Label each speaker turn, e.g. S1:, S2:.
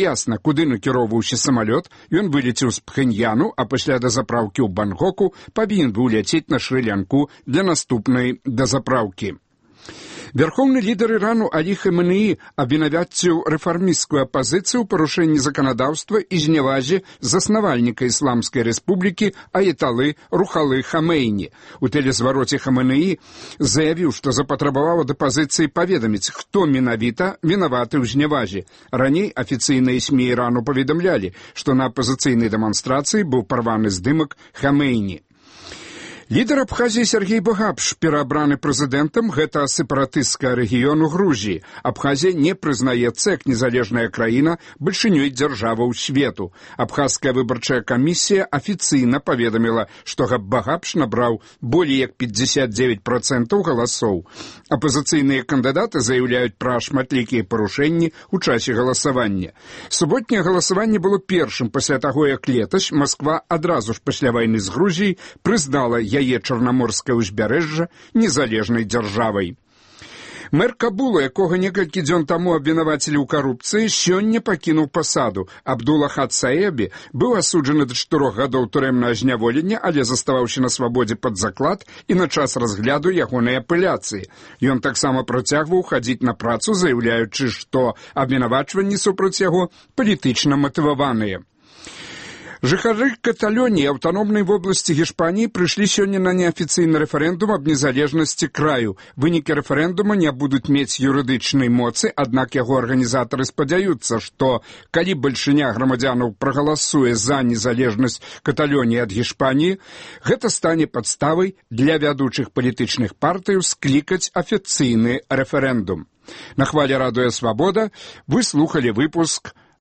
S1: Ясна, куды накіроўваўся самалёт, ён вылецеў з Пхеньяну, а пасля дазапраўкі ў Бангкоку павінен быў ляцець на Шры-Лянку для наступнай дазапраўкі. Верховны лідар Ірану Алі Хаменеі абвінаваціў рэфармісцкую апазіцыю ў парушэнні заканадаўства і знявазе заснавальніка Ісламскай рэспублікі Аяталы Рухалы Хамейні. У тэлезвароце Хаменеі заявіў, што запатрабаваў ад апазіцыі паведаміць, хто менавіта вінаваты ў знявазе. Раней афіцыйныя СМІ Ірану паведамлялі, што на апазіцыйнай дэманстрацыі быў парваны здымак Хамейні. Лідар Абхазіі Сергей Багапш пераабраны прэзідэнтам гэта сепаратысцкага рэгіёну Грузіі. Абхазія не прызнаецца як незалежная краіна бальшынёй дзяржаваў свету. Абхазская выбарчая камісія афіцыйна паведаміла, што Багапш набраў болей як 59% галасоў. Апазіцыйныя кандыдаты заяўляюць пра шматлікія парушэнні ў часе галасавання. Суботняе галасаванне было першым пасля таго, як летась Масква адразу ж пасля вайны з Грузіяй прызнала яе чарнаморскае ўзбярэжжа незалежнай дзяржавай. Мэр Кабула, якога некалькі дзён таму абвінавацілі ў карупцыі, сёння пакінуў пасаду. Абдулахад Саебі быў асуджаны да 4 гадоў турэмнага зняволення, але заставаўся на свабодзе пад заклад і на час разгляду ягонай апеляцыі. Ён таксама працягваў хадзіць на працу, заяўляючы, што абвінавачванні супраць яго палітычна матываваныя. Жыхары Каталоніі аўтаномнай вобласці Гішпаніі прыйшлі сёння на неафіцыйны рэферэндум аб незалежнасці краю. Вынікі рэферэндума не будуць мець юрыдычнай моцы, аднак яго арганізатары спадзяюцца, што калі бальшыня грамадзянаў прагаласуе за незалежнасць Каталоніі ад Гішпаніі, гэта стане падставай для вядучых палітычных партыяў склікаць афіцыйны рэферэндум. На хвале Радыё Свабода вы слухалі выпуск